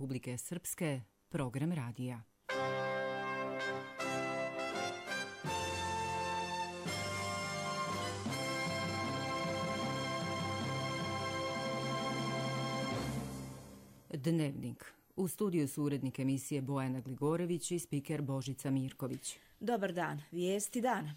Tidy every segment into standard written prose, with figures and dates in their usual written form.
Republike Srpske, program radija. Dnevnik. U studiju su urednik emisije Bojana Gligorević i spiker Božica Mirković. Dobar dan, vijesti dana.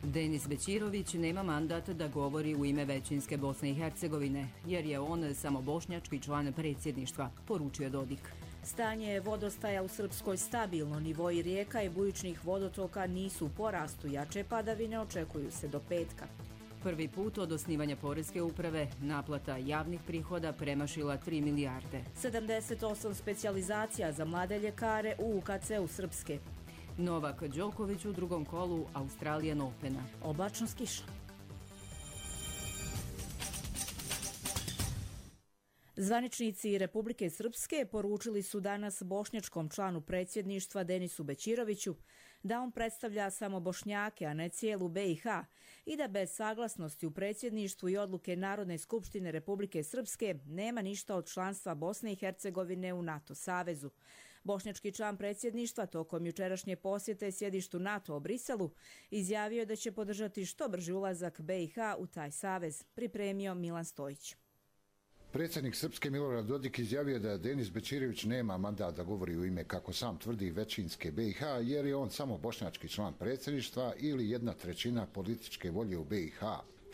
Denis Bećirović nema mandat da govori u ime većinske Bosne i Hercegovine, jer je on samo bošnjački član predsjedništva, poručio Dodik. Stanje vodostaja u Srpskoj stabilno, nivoi rijeka i bujičnih vodotoka nisu u porastu, jače padavine očekuju se do petka. Prvi put od osnivanja Poreske uprave naplata javnih prihoda premašila 3 milijarde. 78 specijalizacija za mlade ljekare u UKC-u Srpske. Novak Đoković u drugom kolu Australian Opena. Oblačno s kišom. Zvaničnici Republike Srpske poručili su danas bošnjačkom članu predsjedništva Denisu Bećiroviću da on predstavlja samo Bošnjake, a ne cijelu BiH i da bez saglasnosti u predsjedništvu i odluke Narodne skupštine Republike Srpske nema ništa od članstva Bosne i Hercegovine u NATO savezu. Bošnjački član predsjedništva tokom jučerašnje posjete sjedištu NATO u Briselu izjavio da će podržati što brži ulazak BiH u taj savez, pripremio Milan Stojić. Predsjednik Srpske Milorad Dodik izjavio da Denis Bećirović nema mandat da govori u ime, kako sam tvrdi, većinske BiH, jer je on samo bošnjački član predsjedništva ili 1/3 političke volje u BiH.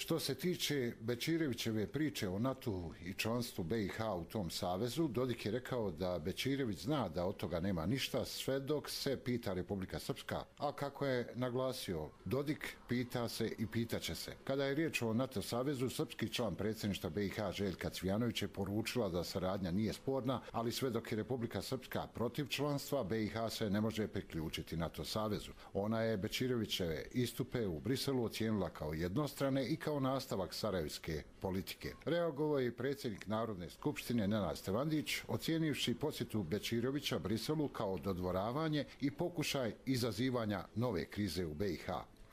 Što se tiče Bećirovićeve priče o NATO i članstvu BiH u tom savezu, Dodik je rekao da Bećirović zna da od toga nema ništa sve dok se pita Republika Srpska, a kako je naglasio Dodik, pita se i pitaće se. Kada je riječ o NATO savezu, srpski član predsjedništva BiH Željka Cvijanović je poručila da saradnja nije sporna, ali sve dok je Republika Srpska protiv članstva, BiH se ne može priključiti NATO savezu. Ona je Bećirovićeve istupe u Briselu ocijenila kao jednostrane i kao nastavak sarajevske politike. Reagovao je i predsjednik Narodne skupštine Nenad Stevandić, ocijenivši posjetu Bećirovića Briselu kao dodvoravanje i pokušaj izazivanja nove krize u BiH.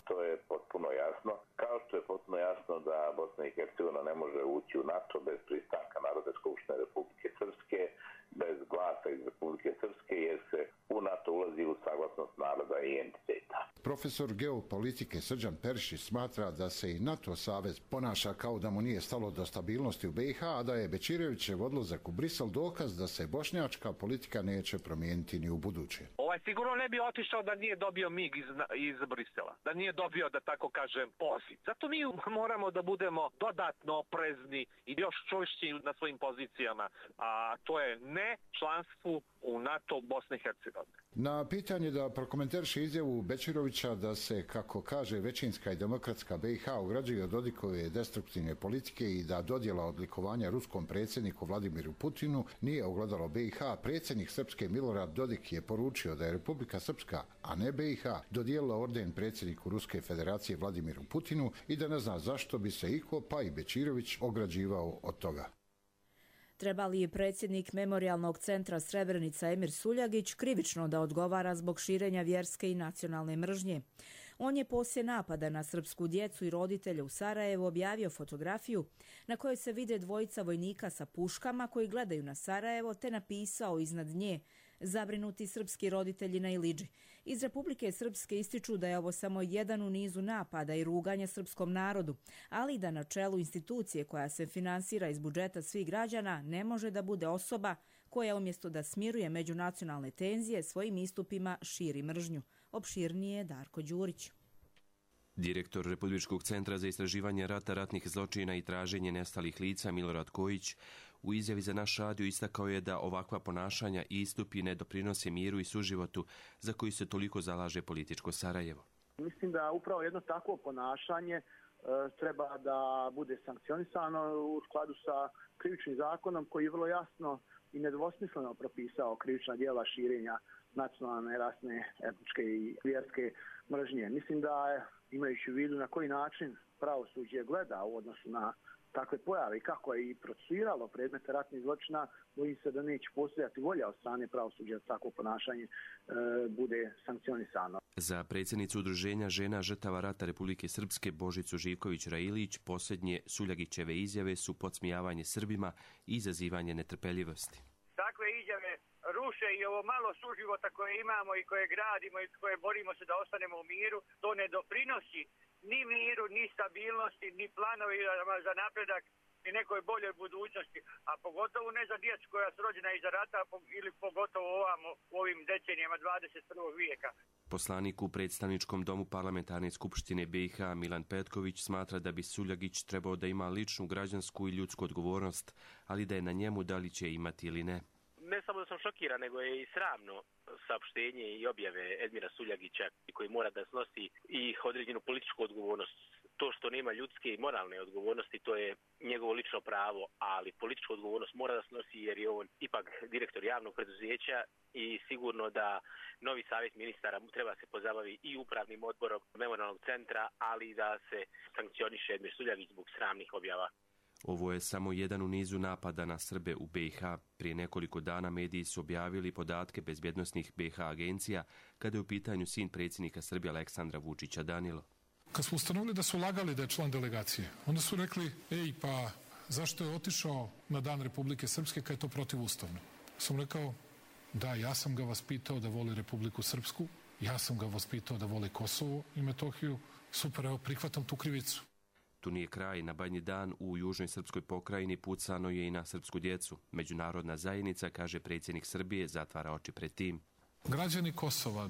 To je potpuno jasno. Kao što je potpuno jasno da Bosna i Hercegovina ne može ući u NATO bez pristanka Narodne skupštine Republike Srpske, bez glasa iz Republike Srpske, jer se u NATO ulazi u saglasnost naroda i entiteta. Profesor geopolitike Srđan Perišić smatra da se i NATO savez ponaša kao da mu nije stalo do stabilnosti u BiH, a da je Bećirovićev odlazak u Brisel dokaz da se bošnjačka politika neće promijeniti ni u buduće. Sigurno ne bi otišao da nije dobio mig iz Brisela, da nije dobio, da tako kažem, poziv. Zato mi moramo da budemo dodatno oprezni i još čvršći na svojim pozicijama, a to je ne članstvu u NATO Bosne i Hercegovine. Na pitanje da prokomentariše izjavu Bećirovića da se, kako kaže, većinska i demokratska BiH ugrađuje od Dodikove destruktivne politike i da dodjela odlikovanja ruskom predsjedniku Vladimiru Putinu nije ogledalo BiH, predsjednik Srpske Milorad Dodik je poručio da je Republika Srpska, a ne BiH, dodijelila orden predsjedniku Ruske federacije Vladimiru Putinu i da ne zna zašto bi se iko, pa i Bećirović, ograđivao od toga. Treba li je predsjednik Memorijalnog centra Srebrenica Emir Suljagić krivično da odgovara zbog širenja vjerske i nacionalne mržnje? On je poslije napada na srpsku djecu i roditelje u Sarajevu objavio fotografiju na kojoj se vide dvojica vojnika sa puškama koji gledaju na Sarajevo, te napisao iznad nje: zabrinuti srpski roditelji na Ilidži. Iz Republike Srpske ističu da je ovo samo jedan u nizu napada i ruganja srpskom narodu, ali da na čelu institucije koja se finansira iz budžeta svih građana ne može da bude osoba koja umjesto da smiruje međunacionalne tenzije svojim istupima širi mržnju. Opširnije Darko Đurić. Direktor Republičkog centra za istraživanje rata, ratnih zločina i traženje nestalih lica Milorad Kojić u izjavi za naš radio istakao je da ovakva ponašanja i istupi ne doprinose miru i suživotu za koji se toliko zalaže političko Sarajevo. Mislim da upravo jedno takvo ponašanje treba da bude sankcionisano u skladu sa krivičnim zakonom koji je vrlo jasno i nedvosmisleno propisao krivična djela širenja nacionalne, rasne, etničke i vjerske mržnje. Mislim da imajući u vidu na koji način pravosuđe gleda u odnosu na takve pojave i kako je i procesuiralo predmete ratnih zločina, bojim se da neće postojati volja od strane pravosuđa da takvo ponašanje bude sankcionisano. Za predsjednicu Udruženja žena žrtava rata Republike Srpske Božicu Živković-Railić posljednje Suljagićeve izjave su podsmijavanje Srbima i izazivanje netrpeljivosti. Takve izjave ruše i ovo malo suživota koje imamo i koje gradimo i koje borimo se da ostanemo u miru, to ne doprinosi ni miru, ni stabilnosti, ni planovi za napredak, ni nekoj boljoj budućnosti, a pogotovo ne za djecu koja su rođena iza rata ili pogotovo u ovim decenijama 21. vijeka. Poslanik u predstavničkom domu parlamentarne skupštine BiH Milan Petković smatra da bi Suljagić trebao da ima ličnu građansku i ljudsku odgovornost, ali da je na njemu da li će imati ili ne. Ne samo da sam šokiran, nego je i sramno saopštenje i objave Edmira Suljagića koji mora da snosi i određenu političku odgovornost. To što nema ljudske i moralne odgovornosti, to je njegovo lično pravo, ali političku odgovornost mora da snosi jer je on ipak direktor javnog preduzeća i sigurno da novi savjet ministara treba se pozabavi i upravnim odborom memorijalnog centra, ali da se sankcioniše Edmir Suljagić zbog sramnih objava. Ovo je samo jedan u nizu napada na Srbe u BiH. Prije nekoliko dana mediji su objavili podatke bezbjednosnih BiH agencija kada je u pitanju sin predsjednika Srbije Aleksandra Vučića Danilo. Kad smo ustanovili da su lagali da je član delegacije, onda su rekli, pa zašto je otišao na Dan Republike Srpske kad je to protivustavno? Sam rekao, da, ja sam ga vaspitao da voli Republiku Srpsku, ja sam ga vaspitao da voli Kosovo i Metohiju, super, evo, prihvatam tu krivicu. Tu nije kraj. Na Banji dan u južnoj srpskoj pokrajini pucano je i na srpsku djecu. Međunarodna zajednica, kaže predsjednik Srbije, zatvara oči pred tim. Građani Kosova,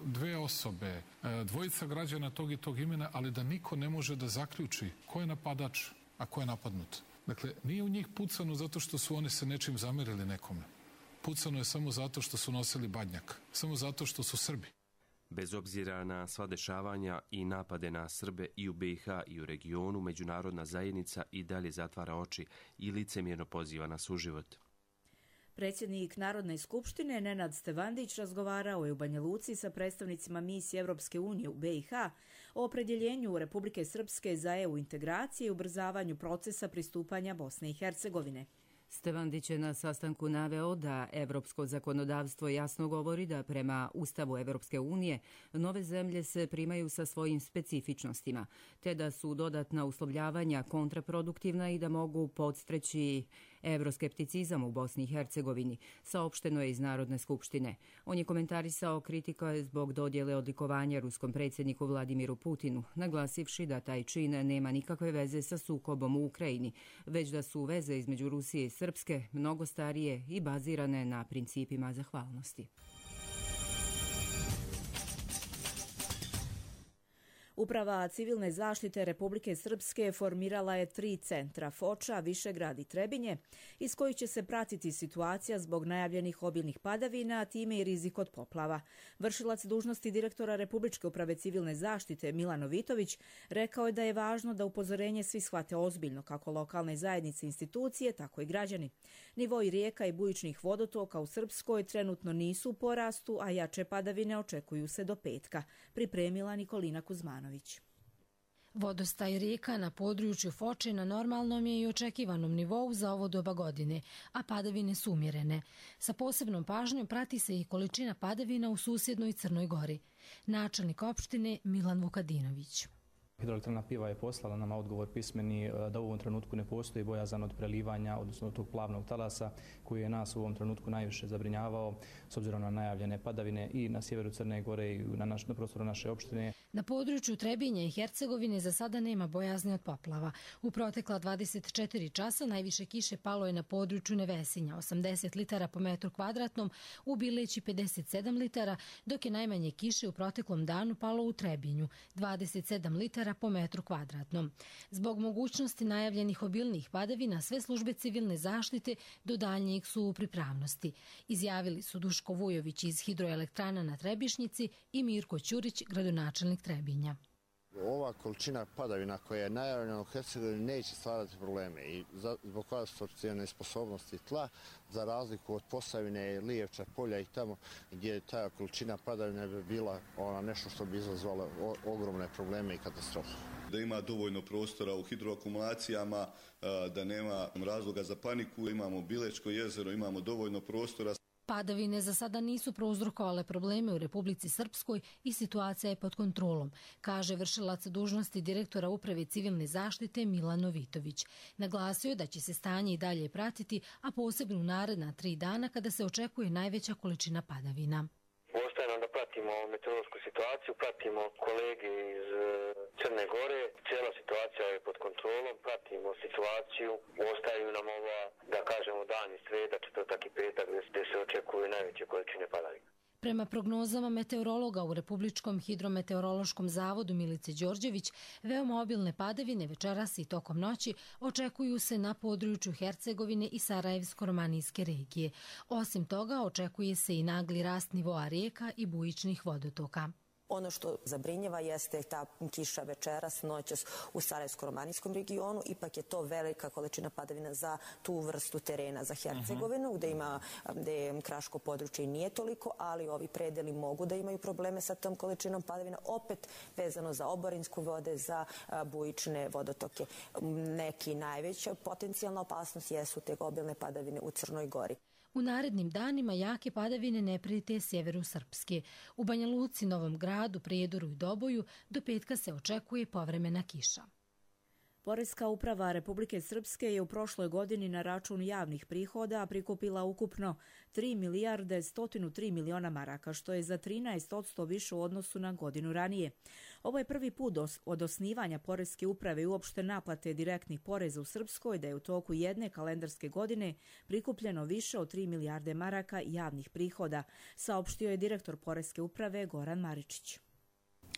dve osobe, dvojica građana tog i tog imena, ali da niko ne može da zaključi ko je napadač, a ko je napadnut. Dakle, nije u njih pucano zato što su oni se nečim zamerili nekome. Pucano je samo zato što su nosili badnjak. Samo zato što su Srbi. Bez obzira na sva dešavanja i napade na Srbe i u BiH i u regionu, međunarodna zajednica i dalje zatvara oči i licemjerno poziva na suživot. Predsjednik Narodne skupštine Nenad Stevandić razgovarao je u Banja Luci sa predstavnicima misije Evropske unije u BiH o opredjeljenju Republike Srpske za EU integracije i ubrzavanju procesa pristupanja Bosne i Hercegovine. Stevandić je na sastanku naveo da evropsko zakonodavstvo jasno govori da prema Ustavu Evropske unije nove zemlje se primaju sa svojim specifičnostima, te da su dodatna uslovljavanja kontraproduktivna i da mogu podstreći evroskepticizam u Bosni i Hercegovini, saopšteno je iz Narodne skupštine. On je komentarisao kritike zbog dodjele odlikovanja ruskom predsjedniku Vladimiru Putinu, naglasivši da taj čin nema nikakve veze sa sukobom u Ukrajini, već da su veze između Rusije i Srpske mnogo starije i bazirane na principima zahvalnosti. Uprava civilne zaštite Republike Srpske formirala je 3 centra, Foča, Višegrad i Trebinje, iz kojih će se pratiti situacija zbog najavljenih obilnih padavina, a time i rizik od poplava. Vršilac dužnosti direktora Republičke uprave civilne zaštite Milan Vitović rekao je da je važno da upozorenje svi shvate ozbiljno, kako lokalne zajednice i institucije, tako i građani. Nivoi rijeka i bujičnih vodotoka u Srpskoj trenutno nisu u porastu, a jače padavine očekuju se do petka, pripremila Nikolina Kuzmanović. Vodostaj rijeka na području Foče na normalnom je i očekivanom nivou za ovo doba godine, a padavine su umjerene. Sa posebnom pažnjom prati se i količina padavina u susjednoj Crnoj Gori. Načelnik opštine Milan Vukadinović. Hidroelektrana Piva je poslala nama odgovor pismeni da u ovom trenutku ne postoji bojazan od prelivanja, odnosno od tog plavnog talasa koji je nas u ovom trenutku najviše zabrinjavao s obzirom na najavljene padavine i na sjeveru Crne Gore i na prostoru naše opštine. Na području Trebinje i Hercegovine za sada nema bojazni od poplava. U protekla 24 časa najviše kiše palo je na području Nevesinja, 80 litara po metru kvadratnom, u Bileći 57 litara, dok je najmanje kiše u proteklom danu palo u Trebinju, 27 litara po metru kvadratnom. Zbog mogućnosti najavljenih obilnih padavina, sve službe civilne zaštite do daljnjeg su u pripravnosti. Izjavili su Duško Vujović iz hidroelektrana na Trebišnjici i Mirko Ćurić, gradonačelnik Trebinja. Ova ova količina padavina koja je najavljena u Hercegovini neće stvarati probleme i zbog konstrukcijne sposobnosti tla, za razliku od Posavine, Lijevča, Polja i tamo gdje ta količina padavina bi bila nešto što bi izazvalo ogromne probleme i katastrofe. Da ima dovoljno prostora u hidroakumulacijama, da nema razloga za paniku, imamo Bilečko jezero, imamo dovoljno prostora. Padavine za sada nisu prouzrokovale probleme u Republici Srpskoj i situacija je pod kontrolom, kaže vršilac dužnosti direktora Uprave civilne zaštite Milan Novitović. Naglasio je da će se stanje i dalje pratiti, a posebno u naredna 3 dana kada se očekuje najveća količina padavina. Ostaje nam da pratimo meteorološku situaciju, pratimo kolege iz Crne Gore, cijela situacija je pod kontrolom, pratimo situaciju, ostaju nam da kažemo dani sreda, četvrtak i petak gdje se očekuju najveće količine padavina. Prema prognozama meteorologa u Republičkom hidrometeorološkom zavodu Milice Đorđević, veoma obilne padavine večeras i tokom noći očekuju se na području Hercegovine i Sarajevsko-romanijske regije. Osim toga, očekuje se i nagli rast nivoa rijeka i bujičnih vodotoka. Ono što zabrinjava jeste ta kiša večeras, noćas u Sarajevsko-romanijskom regionu. Ipak je to velika količina padavina za tu vrstu terena za Hercegovinu, gde kraško područje nije toliko, ali ovi predeli mogu da imaju probleme sa tom količinom padavina, opet vezano za oborinsku vode, za bujične vodotoke. Neki najveća potencijalna opasnost jesu te obilne padavine u Crnoj Gori. U narednim danima jake padavine ne prijete sjeveru Srpske. U Banja Luci, Novom Gradu, Prijedoru i Doboju do petka se očekuje povremena kiša. Poreska uprava Republike Srpske je u prošloj godini na račun javnih prihoda prikupila ukupno 3 milijarde 103 miliona maraka, što je za 13% više u odnosu na godinu ranije. Ovo je prvi put od osnivanja Poreske uprave i uopšte naplate direktnih poreza u Srpskoj da je u toku jedne kalendarske godine prikupljeno više od 3 milijarde maraka javnih prihoda, saopštio je direktor Poreske uprave Goran Maričić.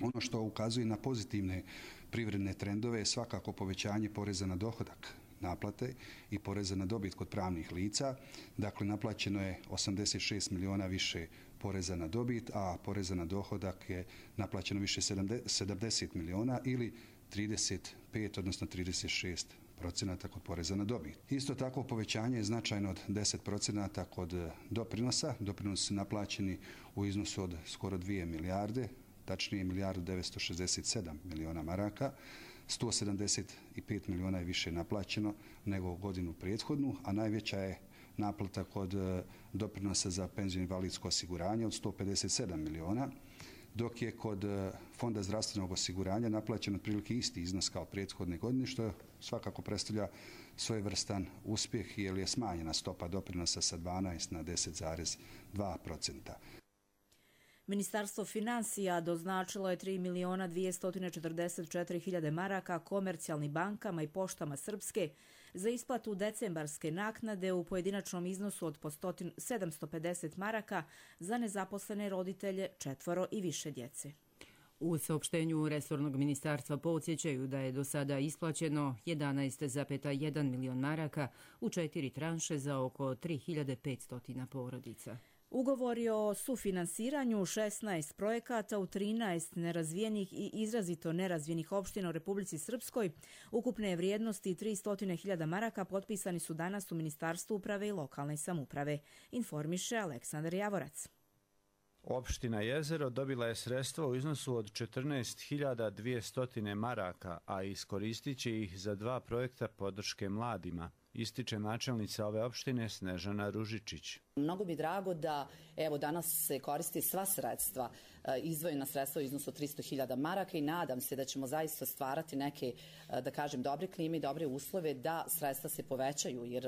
Ono što ukazuje na pozitivne privredne trendove je svakako povećanje poreza na dohodak naplate i poreza na dobit kod pravnih lica. Dakle, naplaćeno je 86 miliona više poreza na dobit, a poreza na dohodak je naplaćeno više 70 miliona ili 35, odnosno 36% kod poreza na dobit. Isto tako povećanje je značajno od 10% kod doprinosa. Doprinosi su naplaćeni u iznosu od skoro 2 milijarde, tačnije 1.967 miliona maraka, 175 miliona je više naplaćeno nego godinu prethodnu, a najveća je naplata kod doprinosa za penzijsko invalidsko osiguranje od 157 miliona, dok je kod Fonda zdravstvenog osiguranja naplaćen otprilike isti iznos kao prethodne godine, što svakako predstavlja svojevrstan uspjeh jer je smanjena stopa doprinosa sa 12 na 10,2%. Ministarstvo financija doznačilo je 3 miliona 244 hiljade maraka komercijalnim bankama i poštama Srpske za isplatu decembarske naknade u pojedinačnom iznosu od po 750 maraka za nezaposlene roditelje 4 i više djece. U saopštenju resornog ministarstva podsjećaju da je do sada isplaćeno 11,1 milion maraka u 4 tranše za oko 3500 porodica. Ugovori o sufinansiranju 16 projekata u 13 nerazvijenih i izrazito nerazvijenih opština u Republici Srpskoj ukupne vrijednosti 300.000 maraka potpisani su danas u Ministarstvu uprave i lokalne samouprave, informiše Aleksandar Javorac. Opština Jezero dobila je sredstva u iznosu od 14.200 maraka, a iskoristit će ih za 2 projekta podrške mladima, ističe načelnica ove opštine Snežana Ružičić. Mnogo mi drago da danas se koristi sva sredstva, izdvojena sredstva u iznosu 300.000 maraka i nadam se da ćemo zaista stvarati neke, da kažem, dobre klime i dobre uslove da sredstva se povećaju, jer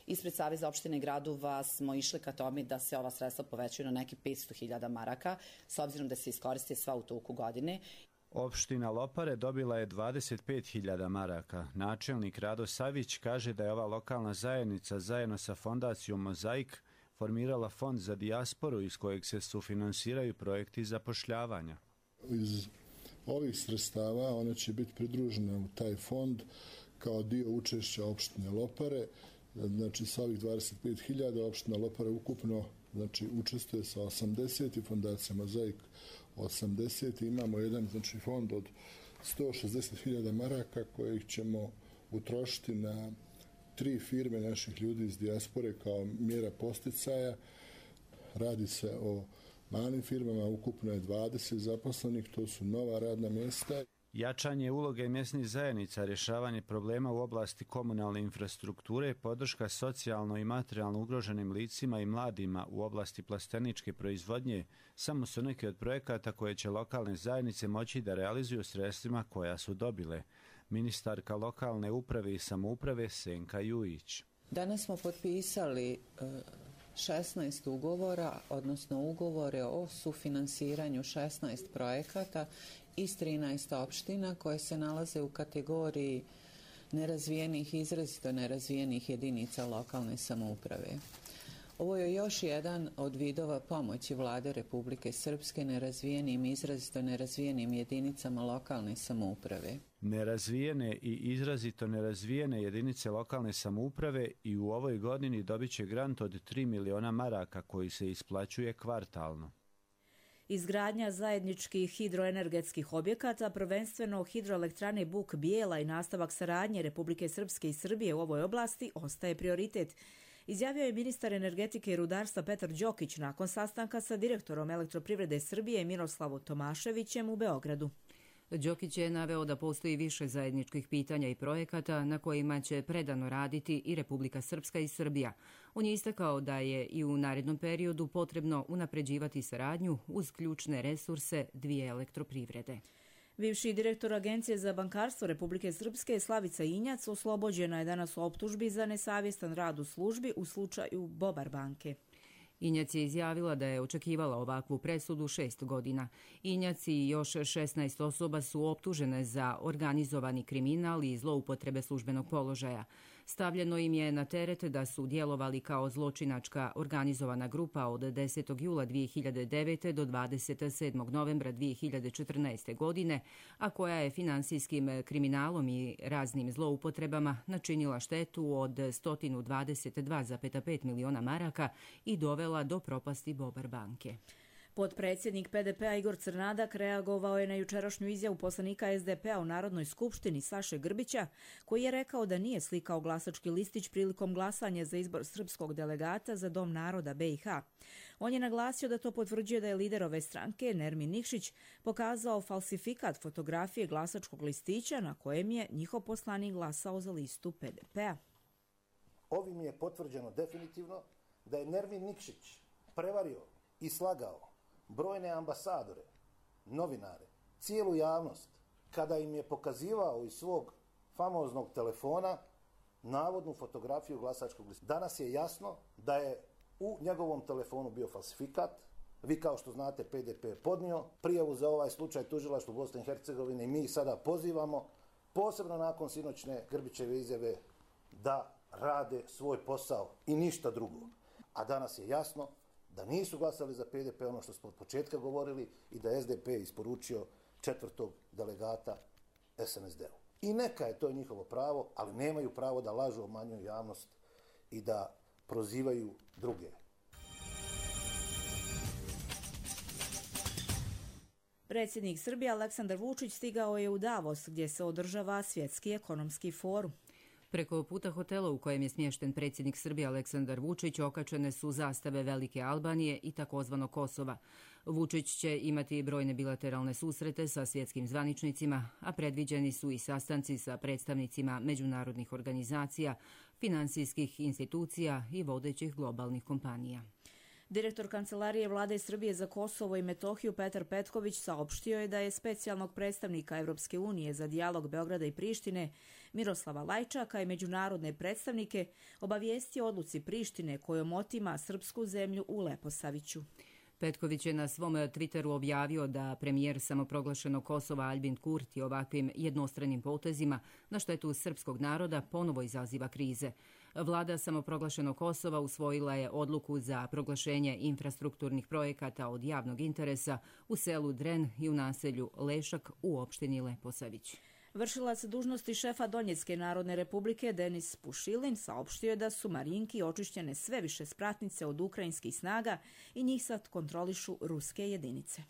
ispred Saveza opštine i gradova smo išli ka tome da se ova sredstva povećaju na neki 500.000 maraka, s obzirom da se iskoriste sva u toku godine. Opština Lopare dobila je 25.000 maraka. Načelnik Rado Savić kaže da je ova lokalna zajednica zajedno sa fondacijom Mozaik formirala fond za dijasporu iz kojeg se sufinansiraju projekti zapošljavanja. Iz ovih sredstava one će biti pridružene u taj fond kao dio učešća opštine Lopare. Znači sa ovih 25.000 opština Lopare ukupno učestvuje sa 80 i fondacija Mozaik 80. Imamo jedan fond od 160.000 maraka kojih ćemo utrošiti na 3 firme naših ljudi iz dijaspore kao mjera posticaja. Radi se o malim firmama, ukupno je 20 zaposlenih, to su nova radna mjesta. Jačanje uloge mjesnih zajednica, rješavanje problema u oblasti komunalne infrastrukture, podrška socijalno i materijalno ugroženim licima i mladima u oblasti plasteničke proizvodnje samo su neki od projekata koje će lokalne zajednice moći da realizuju sredstvima koja su dobile. Ministarka lokalne uprave i samouprave Senka Jujić. Danas smo potpisali 16 ugovora, odnosno ugovore o sufinansiranju 16 projekata iz 13 opština koje se nalaze u kategoriji nerazvijenih, izrazito nerazvijenih jedinica lokalne samouprave. Ovo je još jedan od vidova pomoći Vlade Republike Srpske nerazvijenim i izrazito nerazvijenim jedinicama lokalne samouprave. Nerazvijene i izrazito nerazvijene jedinice lokalne samouprave i u ovoj godini dobit će grant od 3 miliona maraka koji se isplaćuje kvartalno. Izgradnja zajedničkih hidroenergetskih objekata, prvenstveno hidroelektrane Buk Bijela i nastavak saradnje Republike Srpske i Srbije u ovoj oblasti ostaje prioritet, izjavio je ministar energetike i rudarstva Petar Đokić nakon sastanka sa direktorom Elektroprivrede Srbije Miroslavom Tomaševićem u Beogradu. Đokić je naveo da postoji više zajedničkih pitanja i projekata na kojima će predano raditi i Republika Srpska i Srbija. On je istakao da je i u narednom periodu potrebno unapređivati saradnju uz ključne resurse dvije elektroprivrede. Bivši direktor Agencije za bankarstvo Republike Srpske Slavica Injac oslobođena je danas u optužbi za nesavjestan rad u službi u slučaju Bobar banke. Injac je izjavila da je očekivala ovakvu presudu 6 godina. Injac i još 16 osoba su optužene za organizovani kriminal i zloupotrebe službenog položaja. Stavljeno im je na teret da su djelovali kao zločinačka organizovana grupa od 10. jula 2009. do 27. novembra 2014. godine, a koja je finansijskim kriminalom i raznim zloupotrebama načinila štetu od 122,5 miliona maraka i dovela do propasti Bobar banke. Potpredsjednik PDP-a Igor Crnadak reagovao je na jučerašnju izjavu poslanika SDP-a u Narodnoj skupštini Saše Grbića, koji je rekao da nije slikao glasački listić prilikom glasanja za izbor srpskog delegata za Dom naroda BiH. On je naglasio da to potvrđuje da je lider ove stranke, Nermin Nikšić, pokazao falsifikat fotografije glasačkog listića na kojem je njihov poslanik glasao za listu PDP-a. Ovim je potvrđeno definitivno da je Nermin Nikšić prevario i slagao brojne ambasadore, novinare, cijelu javnost, kada im je pokazivao iz svog famoznog telefona navodnu fotografiju glasačkog lista. Danas je jasno da je u njegovom telefonu bio falsifikat. Vi kao što znate, PDP je podnio prijavu za ovaj slučaj tužilaštvu Bosne i Hercegovine i mi sada pozivamo, posebno nakon sinoćne Grbićeve izjave, da rade svoj posao i ništa drugo. A danas je jasno da nisu glasali za PDP, ono što smo od početka govorili, i da je SDP isporučio 4. delegata SNSD-u. I neka je to njihovo pravo, ali nemaju pravo da lažu, obmanjuju javnost i da prozivaju druge. Predsjednik Srbije Aleksandar Vučić stigao je u Davos, gdje se održava Svjetski ekonomski forum. Preko puta hotela u kojem je smješten predsjednik Srbije Aleksandar Vučić okačene su zastave Velike Albanije i takozvano Kosova. Vučić će imati brojne bilateralne susrete sa svjetskim zvaničnicima, a predviđeni su i sastanci sa predstavnicima međunarodnih organizacija, finansijskih institucija i vodećih globalnih kompanija. Direktor Kancelarije Vlade Srbije za Kosovo i Metohiju Petar Petković saopštio je da je specijalnog predstavnika Evropske unije za dijalog Beograda i Prištine Miroslava Lajčaka i međunarodne predstavnike obavijestio odluci Prištine kojom otima srpsku zemlju u Leposaviću. Petković je na svom Twitteru objavio da premijer samoproglašenog Kosova Albin Kurti ovakvim jednostranim potezima na štetu srpskog naroda ponovo izaziva krize. Vlada samoproglašenog Kosova usvojila je odluku za proglašenje infrastrukturnih projekata od javnog interesa u selu Dren i u naselju Lešak u opštini Leposavić. Vršilac dužnosti šefa Donjecke Narodne Republike Denis Pušilin saopštio je da su Marinki očišćene sve više spratnice od ukrajinskih snaga i njih sad kontrolišu ruske jedinice.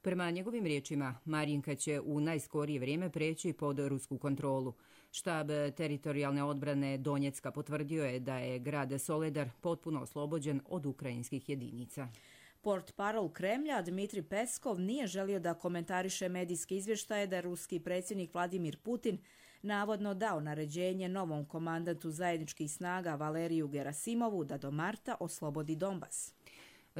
Prema njegovim riječima, Marinka će u najskorije vrijeme preći pod rusku kontrolu. Štab teritorijalne odbrane Donjecka potvrdio je da je grad Soledar potpuno oslobođen od ukrajinskih jedinica. Portparol Kremlja Dmitri Peskov nije želio da komentariše medijske izvještaje da je ruski predsjednik Vladimir Putin navodno dao naređenje novom komandantu zajedničkih snaga Valeriju Gerasimovu da do marta oslobodi Donbas.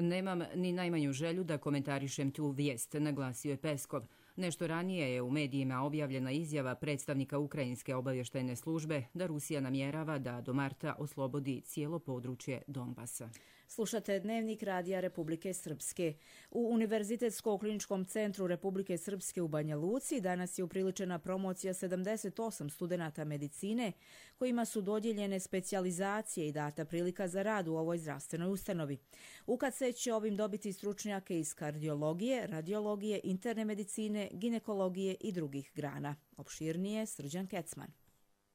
Nemam ni najmanju želju da komentarišem tu vijest, naglasio je Peskov. Nešto ranije je u medijima objavljena izjava predstavnika Ukrajinske obavještajne službe da Rusija namjerava da do marta oslobodi cijelo područje Donbasa. Slušate Dnevnik Radija Republike Srpske. U Univerzitetskom kliničkom centru Republike Srpske u Banja Luci danas je upriličena promocija 78 studenata medicine kojima su dodijeljene specijalizacije i data prilika za rad u ovoj zdravstvenoj ustanovi. UKC će ovim dobiti stručnjake iz kardiologije, radiologije, interne medicine, ginekologije i drugih grana. Opširnije Srđan Kecman.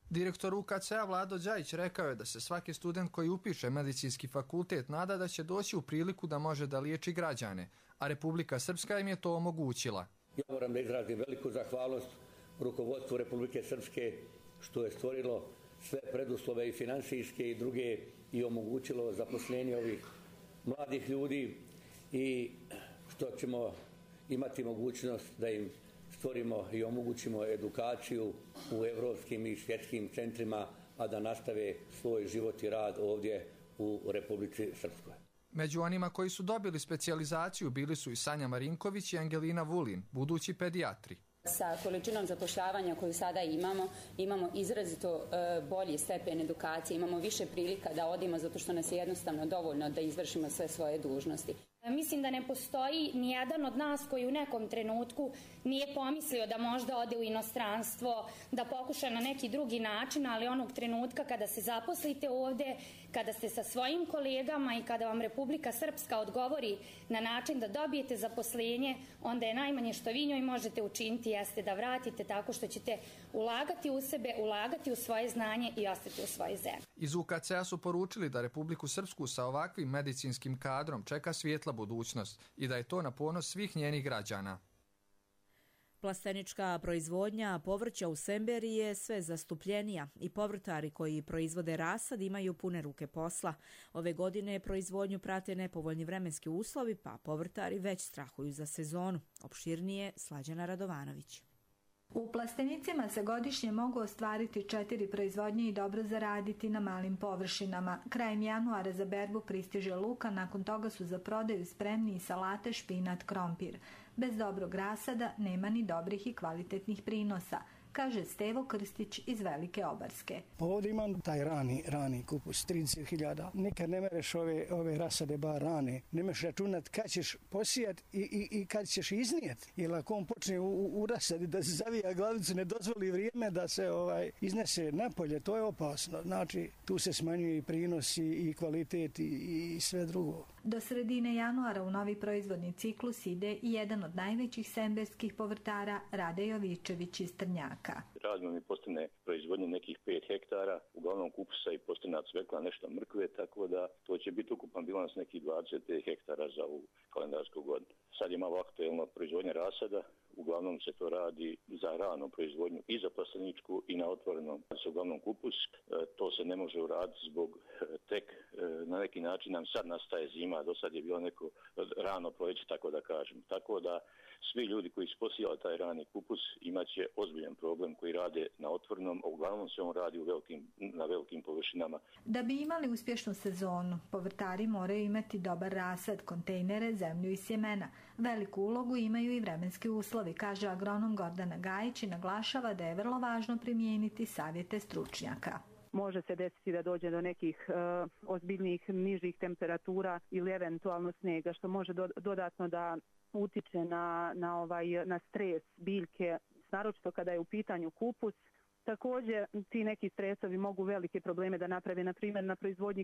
Direktor UKC-a Vlado Đajić rekao je da se svaki student koji upiše medicinski fakultet nada da će doći u priliku da može da liječi građane, a Republika Srpska im je to omogućila. Ja moram da izrazim veliku zahvalnost rukovodstvu Republike Srpske što je stvorilo sve preduslove i finansijske i druge i omogućilo zaposlenje ovih mladih ljudi i što ćemo imati mogućnost da im stvorimo i omogućimo edukaciju u evropskim i svjetskim centrima, a da nastave svoj život i rad ovdje u Republici Srpskoj. Među onima koji su dobili specijalizaciju bili su i Sanja Marinković i Angelina Vulin, budući pedijatri. Sa količinom zapošljavanja koju sada imamo izrazito bolji stepen edukacije, imamo više prilika da odimo zato što nas je jednostavno dovoljno da izvršimo sve svoje dužnosti. Mislim da ne postoji nijedan od nas koji u nekom trenutku nije pomislio da možda ode u inostranstvo, da pokuša na neki drugi način, ali onog trenutka kada se zaposlite ovdje, kada ste sa svojim kolegama i kada vam Republika Srpska odgovori na način da dobijete zaposlenje, onda je najmanje što vi njoj možete učiniti jeste da vratite tako što ćete ulagati u sebe, ulagati u svoje znanje i ostati u svojoj zemlji. Iz UKC-a su poručili da Republiku Srpsku sa ovakvim medicinskim kadrom čeka svijetla budućnost i da je to na ponos svih njenih građana. Plastenička proizvodnja povrća u Semberi je sve zastupljenija i povrtari koji proizvode rasad imaju pune ruke posla. Ove godine proizvodnju prate nepovoljni vremenski uslovi, pa povrtari već strahuju za sezonu. Opširnije Slađana Radovanović. U plastenicima se godišnje mogu ostvariti 4 proizvodnje i dobro zaraditi na malim površinama. Krajem januara za berbu pristiže luka, nakon toga su za prodaju spremni i salate, špinat, krompir. Bez dobrog rasada nema ni dobrih i kvalitetnih prinosa, kaže Stevo Krstić iz Velike Obarske. Ovdje imam taj rani kupus, 30.000. Nikad ne mereš ove rasade bar rane. Ne možeš računat kad ćeš posijat i kad ćeš iznijet. Jer ako on počne u rasadi da se zavija glavicu, ne dozvoli vrijeme da se iznese napolje, to je opasno. Znači, tu se smanjuje i prinos i kvalitet i sve drugo. Do sredine januara u novi proizvodni ciklus ide i jedan od najvećih semberskih povrtara, Rade Jovičević iz Trnjaka. Radimo mi postane proizvodnje nekih 5 hektara, uglavnom kupusa i postane cvekla, nešto mrkve, tako da to će biti ukupan bilans nekih 25 hektara za ovu kalendarsku godinu. Sad je malo aktuelno proizvodnja rasada, uglavnom se to radi za ranu proizvodnju i za plasteničku i na otvorenom se uglavnom kupus. To se ne može uraditi zbog tek na neki način nam sad nastaje zima, do sad je bilo neko rano proljeće, tako da kažem. Tako da svi ljudi koji su posijali taj rani kupus imat će ozbiljan problem koji rade na otvorenom, a uglavnom se on radi na velikim površinama. Da bi imali uspješnu sezonu, povrtari moraju imati dobar rasad, kontejnere, zemlju i sjemena. Veliku ulogu imaju i vremenski uslovi, kaže agronom Gordana Gajić i naglašava da je vrlo važno primijeniti savjete stručnjaka. Može se desiti da dođe do nekih ozbiljnih nižih temperatura ili eventualno snijega, što može dodatno da utiče na stres biljke, naročito kada je u pitanju kupus. Također, ti neki stresovi mogu velike probleme da naprave, na primjer,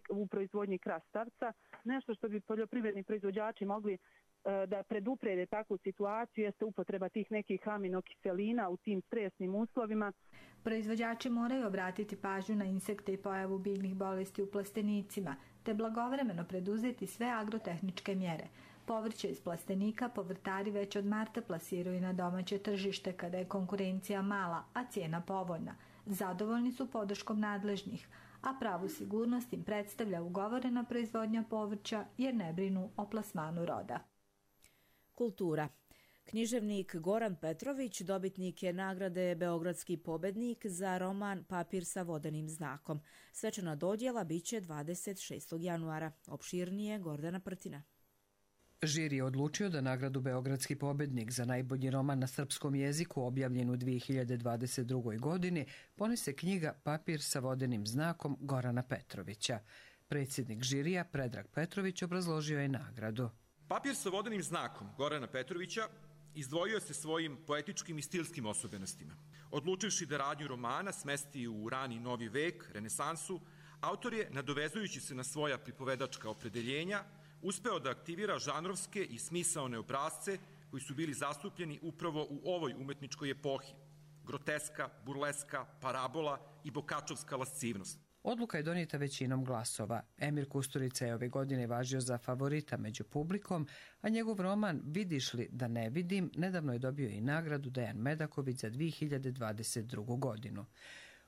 u proizvodnji krastavca. Nešto što bi poljoprivredni proizvođači mogli da preduprede takvu situaciju jeste upotreba tih nekih aminokiselina u tim stresnim uslovima. Proizvođači moraju obratiti pažnju na insekte i pojavu biljnih bolesti u plastenicima, te blagovremeno preduzeti sve agrotehničke mjere. Povrće iz plastenika povrtari već od marta plasiraju na domaće tržište kada je konkurencija mala, a cijena povoljna. Zadovoljni su podrškom nadležnih, a pravu sigurnost im predstavlja ugovorena proizvodnja povrća jer ne brinu o plasmanu roda. Kultura. Književnik Goran Petrović dobitnik je nagrade Beogradski pobednik za roman Papir sa vodenim znakom. Svečana dodjela biće 26. januara. Opširnije Gordana Prtina. Žiri je odlučio da nagradu Beogradski pobednik za najbolji roman na srpskom jeziku objavljen u 2022. godini ponese knjiga Papir sa vodenim znakom Gorana Petrovića. Predsjednik žirija Predrag Petrović obrazložio je nagradu. Papir sa vodenim znakom Gorana Petrovića izdvojio se svojim poetičkim i stilskim osobenostima. Odlučivši da radnju romana smesti u rani novi vek, renesansu, autor je, nadovezujući se na svoja pripovedačka opredeljenja, uspeo da aktivira žanrovske i smisaone obrazce koji su bili zastupljeni upravo u ovoj umetničkoj epohi. Groteska, burleska, parabola i bokačovska lascivnost. Odluka je donijeta većinom glasova. Emir Kusturica je ove godine važio za favorita među publikom, a njegov roman Vidiš li da ne vidim nedavno je dobio i nagradu Dejan Medaković za 2022. godinu.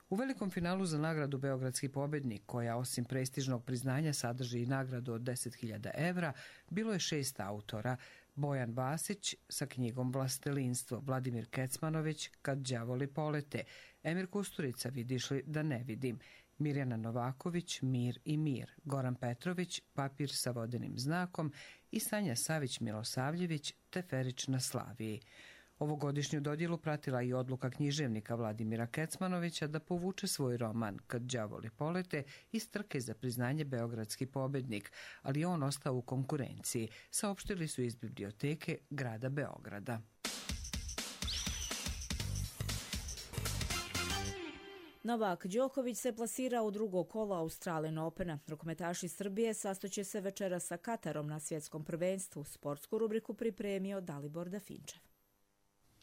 U velikom finalu za nagradu Beogradski pobednik, koja osim prestižnog priznanja sadrži i nagradu od 10.000 evra, bilo je 6 autora. Bojan Vasić sa knjigom Vlastelinstvo, Vladimir Kecmanović Kad đavoli polete, Emir Kusturica Vidiš li da ne vidim, Mirjana Novaković Mir i mir, Goran Petrović Papir sa vodenim znakom i Sanja Savić Milosavljević Teferić na Slaviji. Ovogodišnju dodjelu pratila i odluka književnika Vladimira Kecmanovića da povuče svoj roman Kad đavoli polete iz trke za priznanje Beogradski pobednik, ali on ostao u konkurenciji, saopštili su iz biblioteke grada Beograda. Novak Đoković se plasirao u drugo kolo Australian Opena. Rukometaši Srbije sastoće se večera sa Katarom na svjetskom prvenstvu. Sportsku rubriku pripremio Dalibor Dafinčev.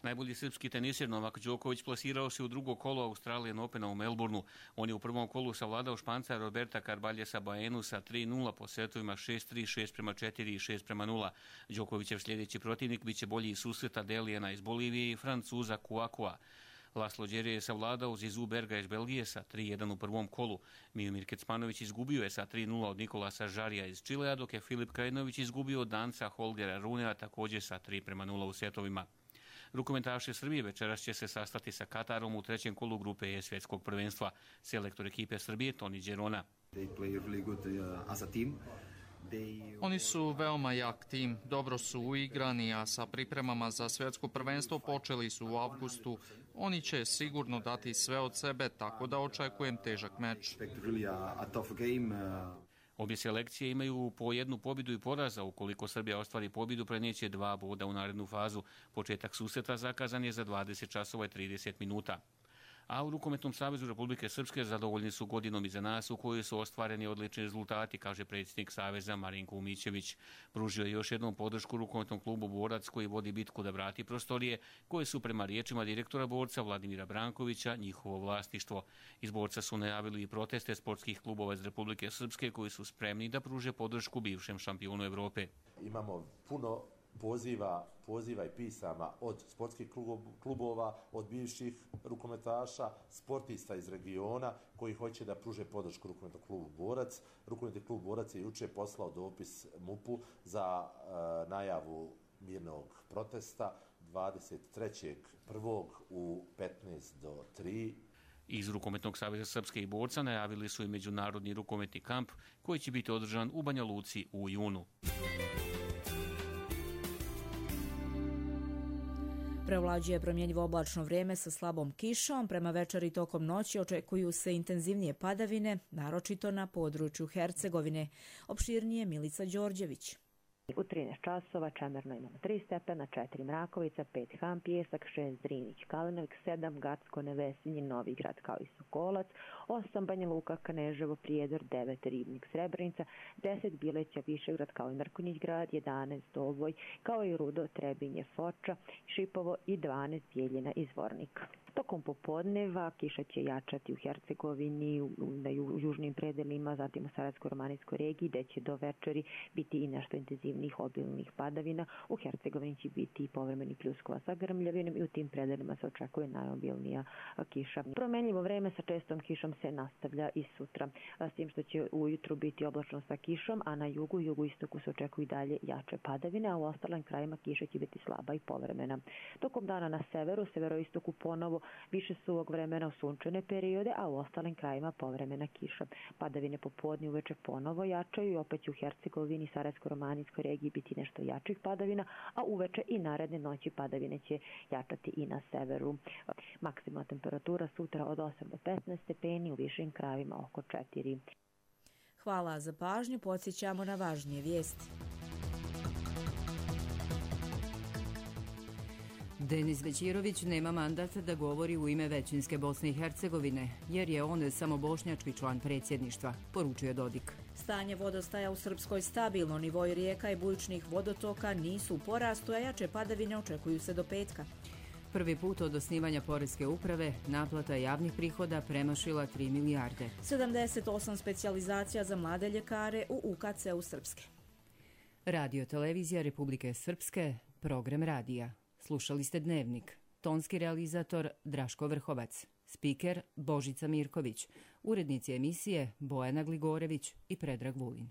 Najbolji srpski tenisir Novak Đoković plasirao se u drugo kolo Australian Opena u Melbourneu. On je u prvom kolu savladao Španca Roberta Carbaljesa Baenu sa 3-0 po setovima 6-3, 6-4 i 6-0. Đokovićev sljedeći protivnik biće bolji susret Adelijana iz Bolivije i Francuza Kouakoua. Laslo Đerje je savladao Zizu Berga iz Belgije sa 3-1 u prvom kolu. Miomir Kecmanović izgubio je sa 3-0 od Nikolasa Žarija iz Čilea, dok je Filip Krajinović izgubio od Danca Holgera Runea također sa 3-0 u setovima. Rukometaši Srbije večeras će se sastati sa Katarom u trećem kolu grupe E svjetskog prvenstva. Selektor ekipe Srbije Toni Đerona. Oni su veoma jak tim, dobro su uigrani, a sa pripremama za svjetsko prvenstvo počeli su u avgustu. Oni će sigurno dati sve od sebe, tako da očekujem težak meč. Obje selekcije imaju po jednu pobjedu i poraza. Ukoliko Srbija ostvari pobjedu, prenijeće 2 boda u narednu fazu. Početak susreta zakazan je za 20 časova i 30 minuta. A u Rukometnom savezu Republike Srpske zadovoljni su godinom iza nas u kojoj su ostvareni odlični rezultati, kaže predsjednik Saveza Marinko Umićević. Pružio je još jednom podršku Rukometnom klubu Borac koji vodi bitku da vrati prostorije koje su prema riječima direktora Borca Vladimira Brankovića njihovo vlasništvo. Iz Borca su najavili i proteste sportskih klubova iz Republike Srpske koji su spremni da pruže podršku bivšem šampionu Evrope. Imamo puno poziva i pisama od sportskih klubova, od bivših rukometaša, sportista iz regiona koji hoće da pruže podršku Rukometnom klubu Borac. Rukometni klub Borac je juče poslao dopis MUP-u za najavu mirnog protesta 23.1. u 15:03. Iz Rukometnog saveza Srpske i Borca najavili su i međunarodni rukometni kamp koji će biti održan u Banja Luci u junu. Prevlađuje promjenjivo oblačno vrijeme sa slabom kišom. Prema večeri tokom noći očekuju se intenzivnije padavine, naročito na području Hercegovine. Opširnije Milica Đorđević. U 13 časova čemerno imamo 3 stepena, 4 Mrakovica, 5 Han Pijesak, 6 Drinić Kalinovik, 7 Gacko Nevesinji, Novigrad kao i Sokolac, 8 Banja Luka, Kneževo, Prijedor, 9 Ribnik, Srebrenica, 10 Bileća, Višegrad kao i Mrkonjić grad, 11 Doboj kao i Rudo, Trebinje, Foča, Šipovo i 12 Bijeljina i Zvornik. Tokom popodneva kiša će jačati u Hercegovini, na južnim predelima, zatim u Sarajevsko-romanijskoj regiji, gde će do večeri biti i nešto intenzivnih obilnih padavina. U Hercegovini će biti i povremeni pljuskova sa grmljavinom i u tim predelima se očekuje najobilnija kiša. Promenljivo vreme sa čestom kišom se nastavlja i sutra, s tim što će ujutru biti oblačno sa kišom, a na jugu i jugoistoku se očekuju i dalje jače padavine, a u ostalim krajima kiša će biti slaba i povremena. Tokom dana na severu, severoistoku ponovo više suvog vremena u sunčane periode, a u ostalim krajima povremena kiša. Padavine popodne uveče ponovo jačaju i opet će u Hercegovini, Sarajevsko-romanijskoj regiji biti nešto jačih padavina, a uveče i naredne noći padavine će jačati i na severu. Maksimalna temperatura sutra od 8 do 15 stepeni, u višim krajevima oko 4. Hvala za pažnju, podsjećamo na važnije vijesti. Denis Većirović nema mandat da govori u ime većinske Bosne i Hercegovine, jer je on samo bošnjački član predsjedništva, poručuje Dodik. Stanje vodostaja u Srpskoj stabilno, nivoi rijeka i bujičnih vodotoka nisu u porastu, a jače padavine očekuju se do petka. Prvi put od osnivanja Poreske uprave naplata javnih prihoda premašila 3 milijarde. 78 specijalizacija za mlade ljekare u UKC-u Srpske. Radio Televizija Republike Srpske, program radija. Slušali ste Dnevnik. Tonski realizator Draško Vrhovac. Spiker Božica Mirković. Urednici emisije Bojana Gligorević i Predrag Vulin.